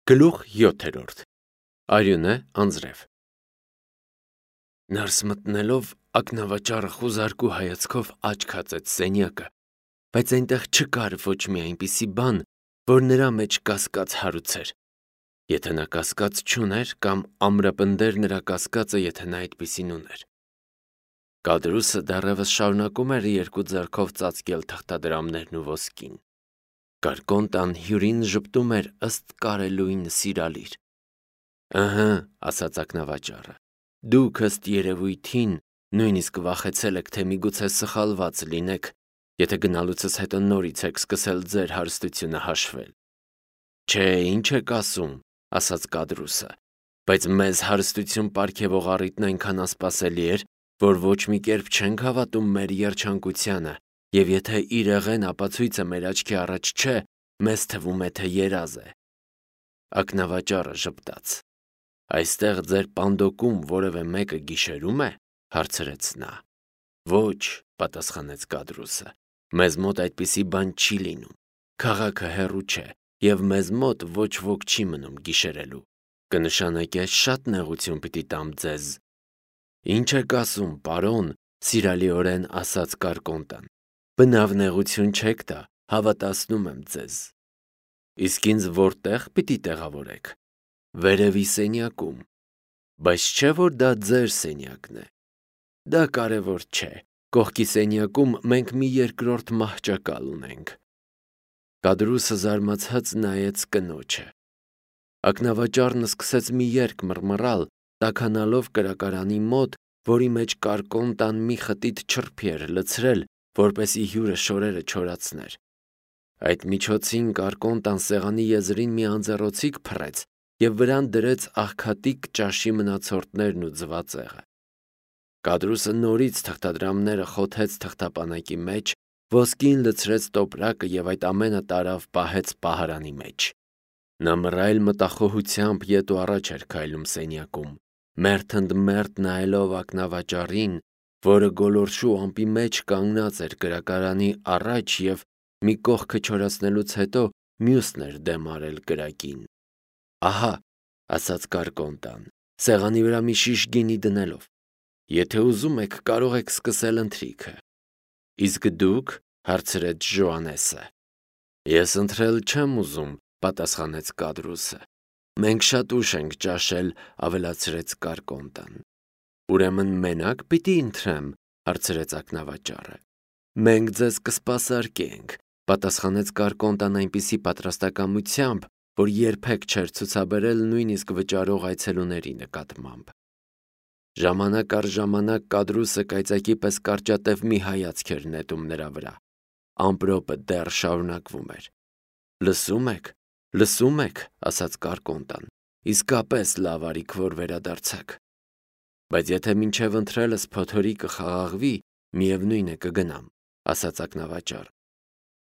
Գլուխ 7. Արյունը անձրև Ներս մտնելով ակնավաճառը խուզարկու հայացքով աչք հացեց սենյակը, բայց այնտեղ չկար ոչ մի այնպիսի բան, որ նրա մեջ կասկած հարուցեր։ Եթե նա կասկած չուներ, կամ ամրապնդեր նրա կասկածը, եթե նա այդպիսին ուներ։ Կադրուսը դեռևս շարունակում էր երկու ձեռքով ծածկել թղթադրամներն ու ոսկին։ Կարկոնտան հյուրին ժպտում էր ըստ կարելույն սիրալիր։ Ըհը, ասաց ակնավաճառը, դուք ըստ երևույթին նույնիսկ վախեցել եք, թե միգուցե սխալված լինեք, եթե գնալուցս հետո նորից եք սկսել ձեր հարստությունը հաշվել։ Չէ, ինչ եք ասում, ասաց Կադրուսը, բայց մեզ հարստություն պարգևող առիթն այնքան անսպասելի էր, որ ոչ մի կերպ չենք հավատում մեր երջանկությանը, և եթե իրեղեն ապացույցը մեր աչքի առաջ չէ, մեզ թվում է, թե երազ է։ Ակնավաճառը ժպտաց։ Այստեղ ձեր պանդոկում որևէ մեկը գիշերում է, հարցրեց նա։ Ոչ, պատասխանեց Կադրուսը, մեզ մոտ այդպիսի բան չի լինում։ Քաղաքը հեռու չէ, և մեզ մոտ ոչ ոք չի մնում գիշերելու։ Կնշանակե շատ նեղություն պիտի տամ ձեզ։ Ինչ եք ասում, պարոն, սիրալիորեն ասաց Կարկոնտան։ Բնավ նեղություն չեք տա, հավատացնում եմ ձեզ։ Իսկ ինձ որտեղ պիտի տեղավորեք։ Վերևի սենյակում։ Բայց չէ՞ որ դա ձեր սենյակն է։ Դա կարևոր չէ։ Կողքի սենյակում մենք մի երկրորդ մահճակալ ունենք։ Կադրուսը զարմացած նայեց կնոջը։ Ակնավաճառն սկսեց մի երգ մռմռալ, տաքանալով կրակարանի մոտ, որի մեջ Կարկոնտան մի խտիտ չրփի էր լցրել, որպեսզի հյուրը շորերը չորացներ։ Այդ միջոցին Կարկոնտան սեղանի եզրին մի անձեռոցիկ փռեց և վրան դրեց աղքատիկ ճաշի մնացորդներն ու ձվածեղը։ Կադրուսը նորից թղթադրամները խոթեց թղթապանակի մեջ, ոսկին լցրեց տոպրակը և այդ ամենը տարավ պահեց պահարանի մեջ։ Նա մռայլ մտախոհությամբ ետ ու առաջ էր քայլում սենյակում, մերթ ընդ մերթ նայելով ակնավաճառին, որը գոլորշու ամպի մեջ կանգնած էր կրակարանի առաջ և մի կողքը չորացնելուց հետո մյուսն էր դեմ արել կրակին։ Ահա, ասաց Կարկոնտան, սեղանի վրա մի շիշ գինի դնելով։ Եթե ուզում եք, կարող եք սկսել ընթրիքը։ Իսկ դուք, հարցրեց Ժոանեսը։ Ես ընթրել չեմ ուզում, պատասխանեց Կադրուսը։ Մենք շատ ուշ ենք ճաշել, ավելացրեց Կարկոնտան։ Ուրեմն մենակ պիտի ընթրեմ, հարցրեց ակնավաճառը։ Մենք ձեզ կսպասարկենք, պատասխանեց Կարկոնտան այնպիսի պատրաստակամությամբ, որ երբեք չէր ցուցաբերել նույնիսկ վճարող այցելուների նկատմամբ։ Ժամանակ առ ժամանակ Կադրուսը կայծակի պես կարճատև մի հայացք էր նետում նրա վրա։ Ամպրոպը դեռ շարունակվում էր։ Լսում եք, ասաց Կարկոնտան, իսկապես լավ արիք, որ վերադարձաք։ Բայց եթե մինչև ընթրելս փոթորիկը խաղաղվի, միևնույն է կգնամ, ասաց ակնավաճառը։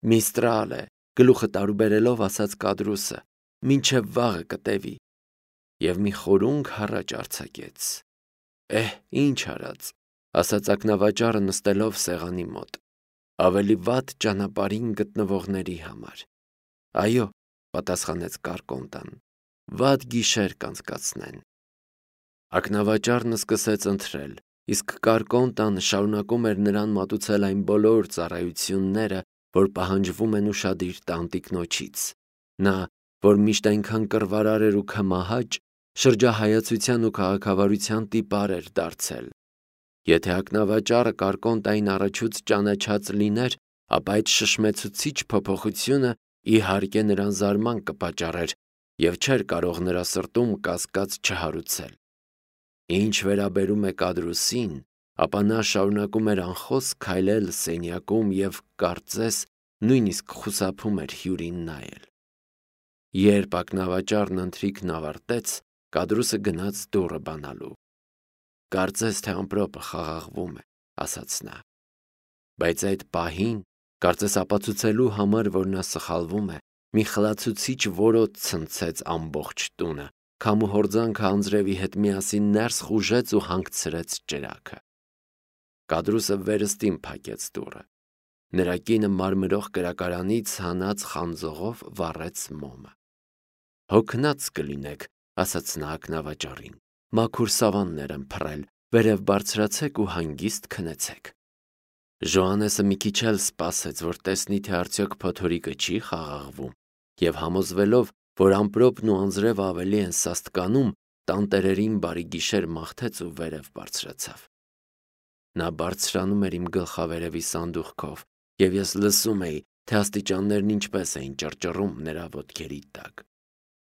Միստրալ է, գլուխը տարուբերելով ասաց Կադրուսը, մինչև վաղը կտևի։ Եվ մի խորունգ հառաչ արձակեց։ Ինչ արած, ասաց ակնավաճառը նստելով սեղանի մոտ։ Ավելի վատ ճանապարհին գտնվողների համար։ Այո, պատասխանեց Կարկոնտան, վատ գիշեր կանցկացնեն։ Ակնավաճառն սկսեց ընթրել, իսկ Կարկոնտան շարունակում էր նրան մատուցել այն բոլոր ծառայությունները, որ պահանջվում են ուշադիր տանտիկնոջից։ Նա, որ միշտ այնքան կռվարար էր ու քմահաճ, շրջահայացության ու քաղաքավարության տիպար էր դարձել։ Եթե ակնավաճառը Կարկոնտային առաջուց ճանաչած լիներ, ապա այդ շշմեցուցիչ փոփոխությունը իհարկե նրան զարման կպատճառեր և չէր կարող նրա սրտում կասկած չհարուցել։ Ինչ վերաբերում է Կադրուսին, ապա նա շարունակում էր անխոսք քայլել սենյակում և կարծես նույնիսկ խուսափում էր հյուրին նայել։ Երբ ակնավաճառն ընթրիքն ավարտեց, Կադրուսը գնաց դուռը բանալու։ Կարծես թե ամպրոպը խաղաղվում է, ասաց նա։ Բայց այդ պահին, կարծես ապացուցելու համար, որ նա սխալվում է, մի խլացուցիչ որոտ ցնցեց ամբողջ տունը, քամու հորձանքը անձրևի հետ միասին ներս խուժեց ու հանգցրեց ճրագը։ Կադրուսը վերստին փակեց դուռը։ Նրա կինը մարմրող կրակարանից հանած խանձողով վառեց մոմը։ Հոգնած կլինեք, ասաց նա ակնավաճառին, մաքուր սավաններ եմ փռել, վերև բարձրացեք ու հանգիստ քնեցեք։ Ժոհաննեսը մի քիչ էլ սպասեց, որ տեսնի, թե արդյոք փոթորիկը չի խաղաղվում, եւ համոզվելով, որ ամպրոպն ու անձրևը ավելի են սաստկանում, տանտերերին բարի գիշեր մաղթեց ու վերև բարձրացավ։ Նա բարձրանում էր իմ գլխավերևի սանդուղքով, եւ ես լսում էի, թե աստիճաններն ինչպես էին ճռճռում նրա ոտքերի տակ։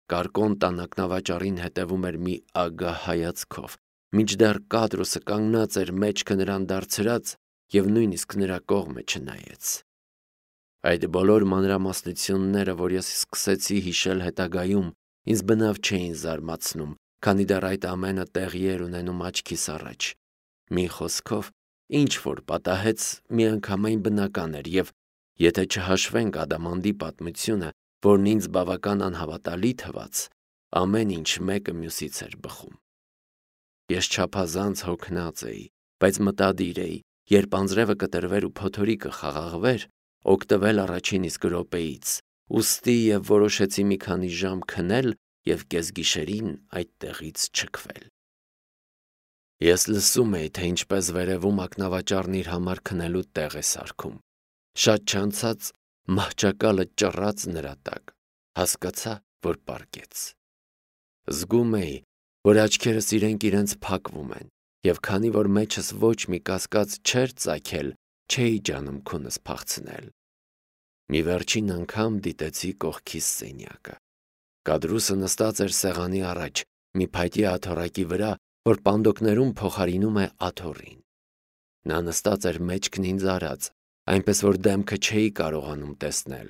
Կարկոն տանակնավաճառին հետևում էր մի ագահ հայացքով, մինչդեռ Կադրոսը կանգնած էր մեջքը նրան դարձրած եւ նույնիսկ նրա կողմը չնայեց։ Այդ բոլոր մանրամասնությունները, որ ես սկսեցի հիշել հետագայում, ինձ բնավ չէին զարմացնում, քանի դեռ այդ ամենը տեղի էր ունենում աչքիս առաջ։ Մի խոսքով, ինչ որ պատահեց, միանգամայն բնական էր եւ, եթե չհաշվենք Ադամանդի պատմությունը, որն ինձ բավական անհավատալի թվաց, ամեն ինչ մեկը մյուսից էր բխում։ Ես չափազանց հոգնած էի, բայց մտադիր էի, երբ անձրևը կտրվեր ու փոթորիկը խաղաղվեր, օգտվել առաջին իսկ րոպեից, ուստի եւ որոշեցի մի քանի ժամ քնել եւ կեսգիշերին այդտեղից չքվել։ Ես լսում էի, թե ինչպես վերևում ակնավաճառն իր համար քնելու տեղ է սարքում։ Շատ չանցած մահճակալը ճռած նրա տակ, հասկացա, որ պառկեց։ Զգում էի, որ աչքերս իրենց փակվում են, եւ քանի որ մեջս ոչ մի կասկած չէր ծագել, չէի ջանում քունս փախցնել։ Մի վերջին անգամ դիտեցի կողքիս սենյակը։ Կադրուսը նստած էր սեղանի առաջ, մի փայտի աթոռակի վրա, որ պանդոկներում փոխարինում է աթոռին։ Նա նստած էր մեջքն ինձ արած, այնպես որ դեմքը չէի կարողանում տեսնել,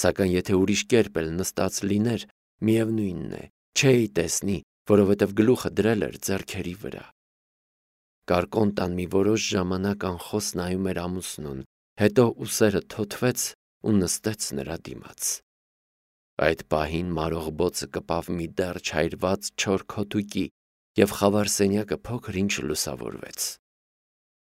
սակայն եթե ուրիշ կերպ էլ նստած լիներ, միևնույնն է, չէի տեսնի, որովհետև գլուխը դրել էր ձեռքերի վրա։ Կարկոն տան մի որոշ ժամանակ անխոս նայում էր ամուսնուն, հետո ուսերը թոթվեց ու նստեց նրա դիմաց։ Այդ պահին մարողբոցը կպավ մի դեռ չայրված չոր քոթուկի, եւ խավար սենյակը փոքր ինչ լուսավորվեց։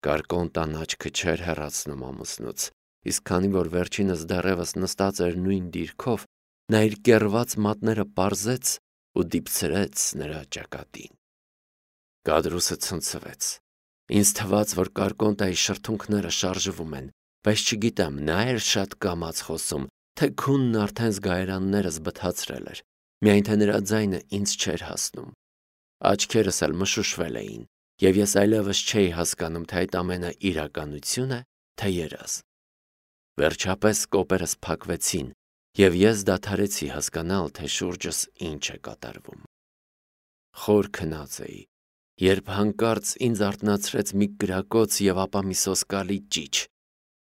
Կարկոն տան աչքը չէր հեռացնում ամուսնուց, իսկ քանի որ վերջինս դեռևս նստած էր նույն դիրքով, նա իր կեռված մատները պարզեց ու դիպցրեց նրա ճակատին։ Կադրուսը ցնցվեց։ Ինձ թվաց, որ Կարկոնտայի շրթունքները շարժվում են, բայց չգիտեմ, նա էր շատ կամաց խոսում, թե քունն արդեն զգայարաններս բթացրել էր, միայն թե նրա ձայնը ինձ չէր հասնում։ Աչքերս էլ մշուշվել էին, եւ ես այլևս չէի հասկանում, թե այդ ամենը իրականություն է, թե երազ։ Վերջապես կոպերս փակվեցին, եւ ես դադարեցի հասկանալ, թե շուրջս ինչ է կատարվում։ Խոր քնած էի, երբ հանկարծ ինձ արթնացրեց մի կրակոց եւ ապա մի սոսկալի ճիչ։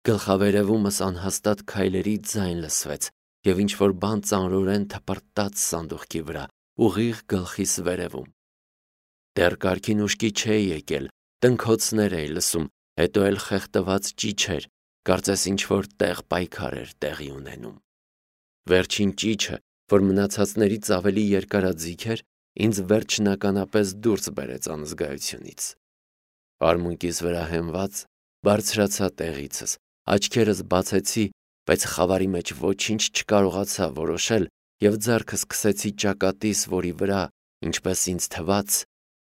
Գլխավերևումս անհաստատ քայլերի ձայն լսվեց եւ ինչ-որ բան ծանրորեն թպրտաց սանդուղքի վրա, ուղիղ գլխիս վերևում։ Դեռ կարգին ուշքի չէի եկել, տնքոցներ էի լսում, հետո էլ խեղդված ճիչեր, կարծես ինչ-որ տեղ պայքար էր տեղի ունենում։ Վերջին ճիչը, որ մնացածներից ավելի երկարաձիգ էր, ինձ վերջնականապես դուրս բերեց անզգայությունից։ Արմունկիս վրա հենված բարձրացա տեղիցս, աչքերս բացեցի, բայց խավարի մեջ ոչինչ չկարողացա որոշել եւ ձեռքս քսեցի ճակատիս, որի վրա, ինչպես ինձ թվաց,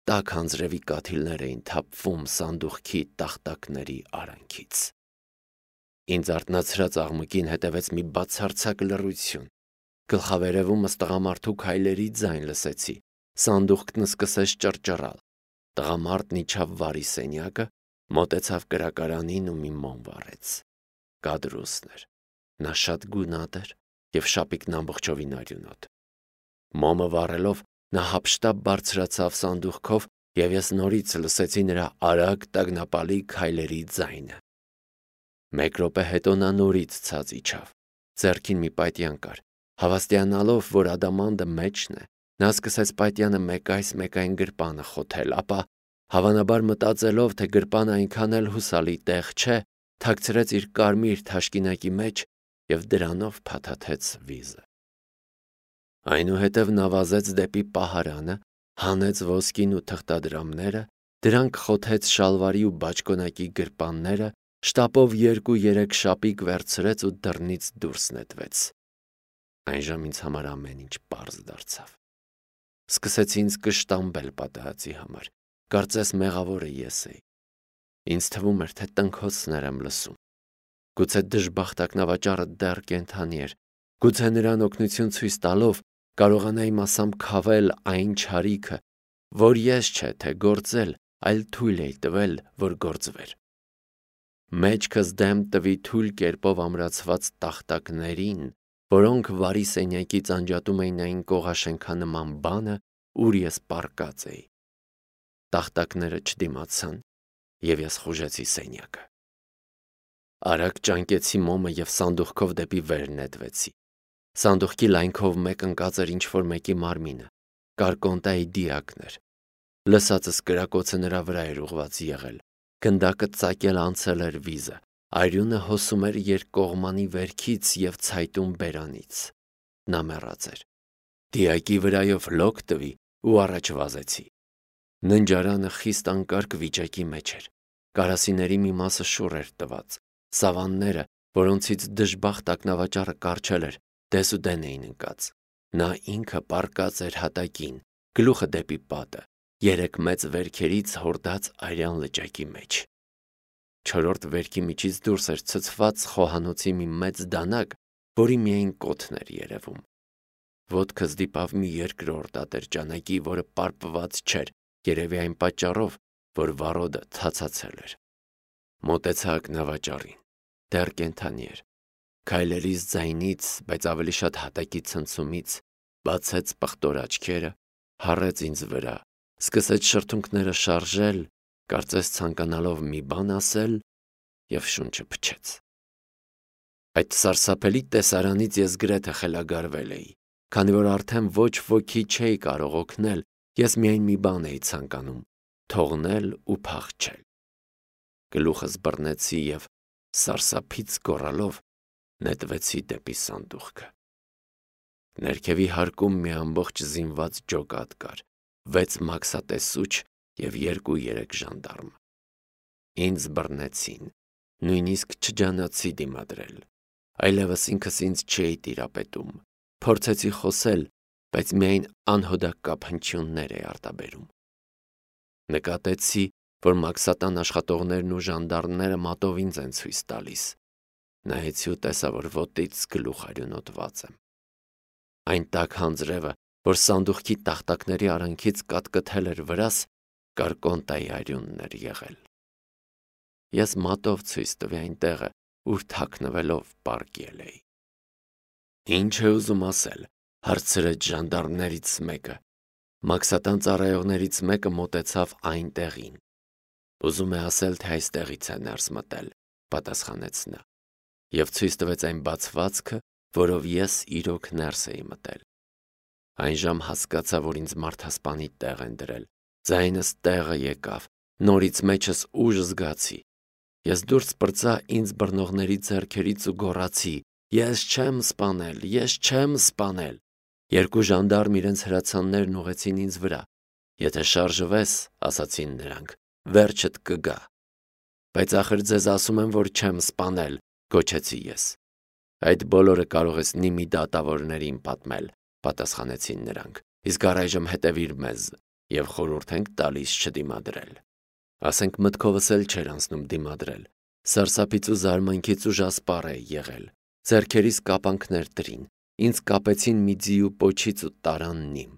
տաք անձրևի կաթիլներ էին թափվում սանդուղքի տախտակների արանքից։ Ինձ արթնացրած աղմուկին հետևեց մի բացարձակ լռություն։ Գլխավերևումս տղամարդու քայլերի ձայն լսեցի, սանդուղքն սկսեց ճռճռալ։ Տղամարդն իջավ վարի սենյակը, մոտեցավ կրակարանին ու մի մոմ վառեց։ Կադրուսն էր։ Նա շատ գունատ էր եւ շապիկն ամբողջովին արյունոտ։ Մոմը վառելով նա հափշտապ բարձրացավ սանդուղքով եւ ես նորից լսեցի նրա արագ տագնապալի քայլերի ձայնը։ Մեկ րոպե հետո նա նորից ցած իջավ։ Ձեռքին մի պայտյան կար։ Հավաստիանալով, որ Ադամանդը մեջն է, նա սկսեց պայտյանը մեկ այս մեկ այն գրպանը խոթել, ապա, հավանաբար մտածելով, թե գրպանը այնքան էլ հուսալի տեղ չէ, թաքցրեց իր կարմիր թաշկինակի մեջ եւ դրանով փաթաթեց վիզը։ Այնուհետև նա վազեց դեպի պահարանը, հանեց ոսկին ու թղթադրամները, դրանք խոթեց շալվարի ու բաճկոնակի գրպանները, շտապով 2-3 շապիկ վերցրեց ու դռնից դուրս նետվեց։ Այն ժամ ինձ համար ամեն ինչ պարզ դարձավ։ Սկսեցի ինձ կշտամբել պատահածի համար, կարծես մեղավորը ես էի։ Ինձ թվում էր, թե տնքոցներ եմ լսում։ Գուցե դժբախտ ակնավաճառը դեռ կենդանի էր, գուցե նրան օգնություն ցույց տալով կարողանայի մասամբ քավել այն չարիքը, որ ես չէ թե գործել, այլ թույլ էի տվել, որ գործվեր։ Մեջքս դեմ տվի թույլ կերպով ամրացված տախտակներին, որոնք վարի սենյակից անջատում էին այն կողաշենքանման բանը, ուր ես պառկած էի։ Տախտակները չդիմացան, և ես խուժեցի սենյակը։ Արագ ճանկեցի մոմը և սանդուղքով դեպի վեր նետվեցի։ Սանդուղքի լայնքով մեկ ընկած էր ինչ-որ մեկի մարմինը, կարկոնտայի դիակն էր։ Լսածս կրակոցը նրա վրա էր ուղղված եղել, գնդակը ծակել անցել էր վիզը, արյունը հոսում էր երկկողմանի վերքից և ցայտուն բերանից։ Նա մեռած էր։ Դիակի վրայով լոկ տվի ու առաջ վազեցի։ Ննջարանը խիստ անկարգ վիճակի մեջ էր։ Կարասիների մի մասը շուռ էր տված, սավանները, որոնցից դժբախտ ակնավաճառը կառչել էր, դեսուդեն էին ընկած։ Նա ինքը պառկած էր հատակին, գլուխը դեպի պատը, երեք մեծ վերքերից հորդած արյան լճակի մեջ։ Չորրորդ վերքի միջից դուրս էր ցցված խոհանոցի մի մեծ դանակ, որի միայն կոթն էր երևում։ Ոտքս դիպավ մի երկրորդ ատրճանակի, որը պարպված չէր, երևի այն պատճառով, որ վառոդը թացացել էր։ Մոտեցա ակնավաճառին, դեռ կենդանի էր։ Քայլերիս ձայնից, բայց ավելի շատ հատակի ցնցումից, բացեց պղտոր աչքերը, հառեց ինձ վրա, սկսեց շրթունքները շարժել, կարծես ցանկանալով մի բան ասել, և շունչը փչեց։ Այդ սարսափելի տեսարանից ես գրեթե խելագարվել էի, քանի որ արդեն ոչ ոքի չէի կարող օգնել, ես միայն մի բան էի ցանկանում՝ թողնել ու փախչել։ Գլուխս բռնեցի և, սարսափից գոռալով, նետվեցի դեպի սանդուղքը։ Ներքևի հարկում մի ամբողջ զինված ջոկատ կար, 6 մաքսատեսուչ և 2-3 ժանդարմ։ Ինձ բռնեցին, նույնիսկ չջանացի դիմադրել, այլևս ինքս ինձ չէի տիրապետում, փորձեցի խոսել, բայց միայն անհոդակապ հնչյուններ էի արտաբերում։ Նկատեցի, որ մաքսատան աշխատողներն ու ժանդարմները մատով ինձ են ցույց տալիս։ Նայեցի ու տեսա, որ ոտից գլուխ արյունոտված եմ։ Այն տաք հանձրևը, որ սանդուղքի տախտակների արանքից կատկթել էր վրաս, կարկոնտայի արյունն էր եղել։ Ես մատով ցույց տվի այն տեղը, ուր թաքնվելով պառկել էի։ Ինչ է ուզում ասել, հարցրեց ժանդարմներից մեկը։ Մաքսատան ծառայողներից մեկը մոտեցավ այն տեղին։ Ուզում է ասել, թե այստեղից է ներս մտել, պատասխանեց նա, և ցույց տվեց այն բացվածքը, որով ես իրոք ներս էի մտել։ Այն ժամ հասկացա, որ ինձ մարդասպանի տեղ են դրել, ձայնս տեղը եկավ, նորից մեջս ուժ զգացի։ Ես դուրս պրծա ինձ բռնողների ձեռքերից ու գոռացի. «Ես չեմ սպանել, ես չեմ սպանել»։ Երկու ժանդարմ իրենց հրացաններն ուղղեցին ինձ վրա։ «Եթե շարժվես, ասացին նրանք, վերջդ կգա»։ «Բայց ախր ձեզ ասում եմ, որ չեմ սպանել», գոչեցի ես։ «Այդ բոլորը կարող ես Նիմի դատավորներին պատմել», պատասխանեցին նրանք, «իսկ առայժմ հետևիր մեզ և խորհուրդ ենք տալիս չդիմադրել»։ Ասենք մտքովս էլ չէր անցնում դիմադրել։ Սարսափից ու զարմանքից ուժասպառ էի եղել։ Ձեռքերիս կապանքներ տրին, ինձ կապեցին մի ձիու պոչից ու տարան Նիմ։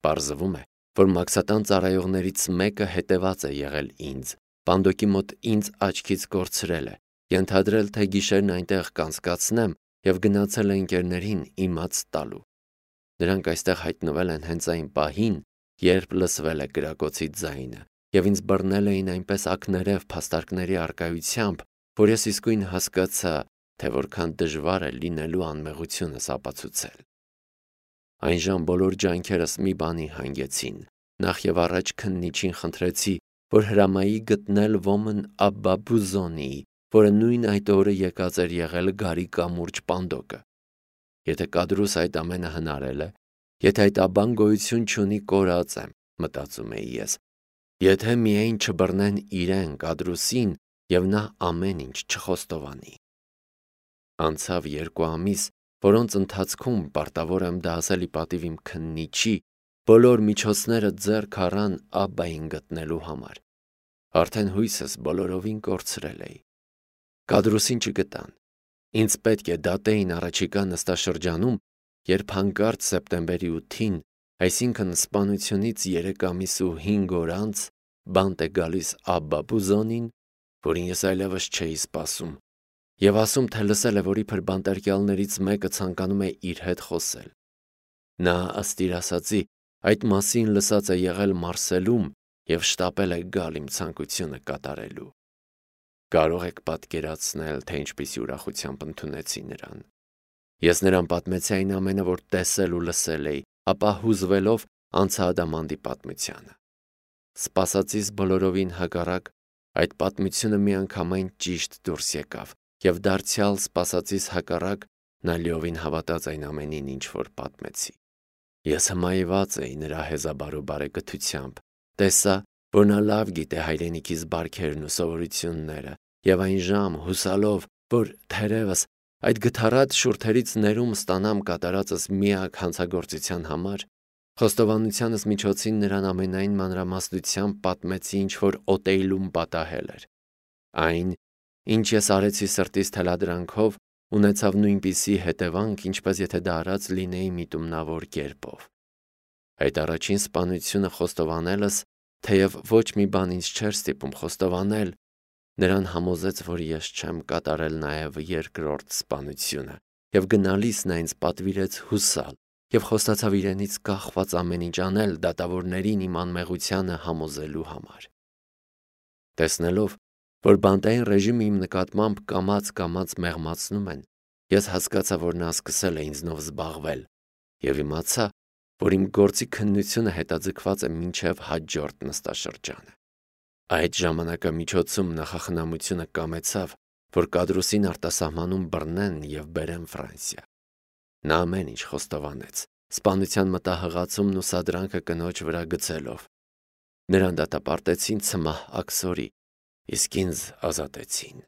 Պարզվում է, որ մաքսատան ծառայողներից մեկը հետևած է եղել ինձ, պանդոկի մոտ ինձ աչքից կորցրել է, ենթադրել, թե գիշերն այնտեղ կանցկացնեմ և գնացել է ընկերներին իմաց տալու։ Նրանք այստեղ հայտնվել են հենց այն պահին, երբ լսվել է կրակոցի ձայնը, և ինձ բռնել էին այնպես ակներև փաստարկների առկայությամբ, որ ես իսկույն հասկացա, թե որքան դժվար է լինելու անմեղությունս ապացուցել։ Այն ժամ բոլոր ջանքերս մի բանի հանգեցին, նախ և առաջ քննիչին խնդրեցի, որ հրամայի գտնել ոմն Աբբա Բուզոնիի, որը նույն այդ օրը եկած էր եղել գարի կամուրջ պանդոկը։ Եթե կադրուս այդ ամենը հնարել է, եթե այդ աբբան գոյություն չունի, կորած եմ, մտածում էի ես, եթե միայն չբռնեն իրեն կադրուսին, և նա ամեն ինչ չխոստովանի։ Անցավ 2 ամիս, որոնց ընթացքում պարտավոր եմ դա ասել ի պատիվ իմ քննիչի, բոլոր միջոցները ձեռք առան Աբբային գտնելու համար։ Արդեն հույսս բոլորովին կորցրել էի։ Կադրուսին չգտան։ Ինձ պետք է դատեին առաջիկա նստաշրջանում, երբ հանկարծ սեպտեմբերի 8-ին, այսինքն սպանությունից 3 ամիս ու 5 օր անց, բանտ է գալիս Աբբա Բուզոնին, որին ես այլևս չէի սպասում, եւ ասում, թե լսել է, որ իբր բանտարկյալներից մեկը ցանկանում է իր հետ խոսել։ Նա, ըստ իր ասածի, այդ մասին լսած է եղել Մարսելում եւ շտապել է գալ իմ ցանկությունը կատարելու։ Կարող եք պատկերացնել, թե ինչպիսի ուրախությամբ ընդունեցի նրան։ Ես նրան պատմեցի այն ամենը, որ տեսել ու լսել էի, ապա հուզվելով անցա ադամանդի պատմությանը։ Սպասածիս բոլորովին հակառակ, այդ պատմությունը միանգամայն ճիշտ դուրս եկավ, եւ դարձյալ սպասածիս հակառակ նա լիովին հավատաց այն ամենին, ինչ որ պատմեցի։ Ես հմայված էի նրա հեզաբարու բարեկթությամբ, տեսա, որ նա լավ գիտե հայրենիքիս բարքերն ու սովորությունները, եւ այն ժամ հուսալով, որ թերևս այդ գթառատ շուրթերից ներում ստանամ կատարածս միակ հանցագործության համար, խոստովանությանս միջոցին նրան ամենայն մանրամասնությամբ պատմեցի, ինչ որ օտեյլում պատահել էր։ Այն, ինչ ես արեցի սրտիս թելադրանքով, ունեցավ նույնպիսի հետևանք, ինչպես եթե դա արած լինեի միտումնավոր կերպով։ Այդ առաջին սպանությունը խոստովանելս, թեև ոչ մի բան ինձ չէր ստիպում խոստովանել, նրան համոզեց, որ ես չեմ կատարել նաև երկրորդ սպանությունը, եւ գնալիս նա ինձ պատվիրեց հուսալ, եւ խոստացավ իրենից կախված ամեն ինչ անել դատավորներին իմ անմեղությանը համոզելու համար։ Տեսնելով, որ բանտային ռեժիմը իմ նկատմամբ կամաց մեղմացնում են, ես հասկացա, որ նա սկսել է ինձնով զբաղվել, եւ իմացա, որ իմ գործի քննությունը հետաձգված է մինչև հաջորդ նստաշրջանը։ Այդ ժամանակամիջոցում նախախնամությունը կամեցավ, որ Կադրուսին արտասահմանում բռնեն եւ բերեն Ֆրանսիա։ Նա ամեն ինչ խոստովանեց, սպանության մտահղացումն ու սադրանքը կնոջ վրա գցելով։ Նրան դատապարտեցին ցմահ աքսորի, իսկ ինձ ազատեցին։